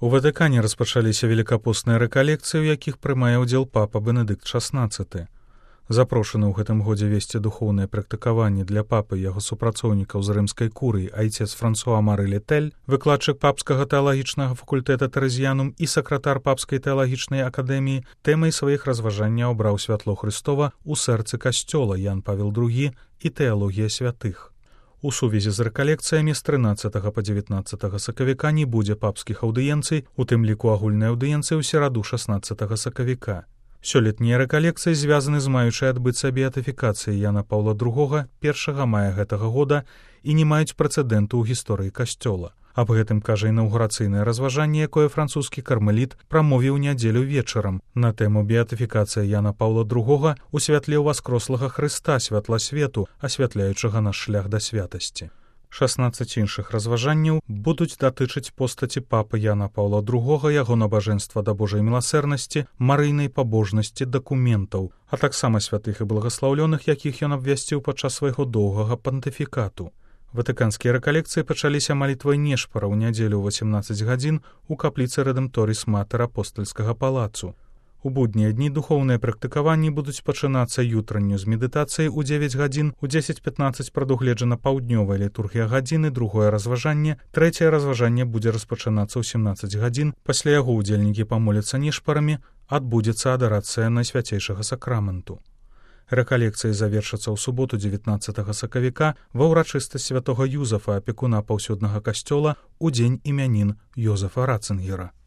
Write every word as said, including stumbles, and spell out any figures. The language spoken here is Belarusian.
У Ватыкане распачаліся велікапосныя рэкалекцыі, у якіх прымае ўдзел папа Бенедыкт шаснаццаты. Запрошаны ў гэтым годзе весці духоўныя практыкаванні для папы і яго супрацоўнікаў з рымскай курыі айцец Франсуа Мары Летэль, выкладчык папскага тэалагічнага факультэта Тэрэзіянум і сакратар папскай тэалагічнай акадэміі, тэмай сваіх разважанняў абраў святло Хрыстова ў сэрцы касцёла Ян Павел другі і тэалогія святых. У сувязі з рэкалекцыямі з трынаццатага па дзевятнаццатага сакавіка не будзе папскіх аўдыенцый, у тым ліку агульнай аўдыенцыі ў сераду шаснаццатага сакавіка. Сёлетнія рэкалекцыі звязаны з маючай адбыцца беатыфікацыяй Яна Паўла другога першага мая гэтага года і не маюць прэцэдэнту ў гісторыі касцёла. Аб гэтым кажа інаўгурацыйнае разважанне, якое французскі кармеліт прамовіў нядзелю вечарам на тэму беатыфікацыя Яна Паўла другога у святле ўваскрослага Хрыста, святла свету, асвятляючага наш шлях да святасці. шаснаццаць іншых разважанняў будуць датычыць постаці папы Яна Паўла другога, яго набажэнства да Божай міласэрнасці, марыйнай пабожнасці, дакументаў, а таксама святых і благаслаўлёных, якіх ён абвясціў падчас свайго доўгага пантыфікату. Ватыканскія рэкалекцыі пачаліся малітвай нешпара ў нядзелю ў васемнаццаць гадзін у капліцы Рэдэмторіс Матэр апостальскага палацу. У буднія дні духоўныя практыкаванні будуць пачынацца ютранню з медытацыяй у дзевяць гадзін, у дзесяць пятнаццаць прадугледжана паўднёвая літургія гадзіны, другое разважанне, трэцяе разважанне будзе распачынацца ў сямнаццаць гадзін, пасля яго ўдзельнікі памоляцца нешпарамі, адбудзецца адарацыя найсвяцейшага сакраменту. Рэкалекцыі завершацца ў суботу дзевятнаццатага сакавіка ва ўрачыстасць святога Юзафа, апекуна паўсюднага касцёла, у дзень імянін Йозафа Ратцынгера.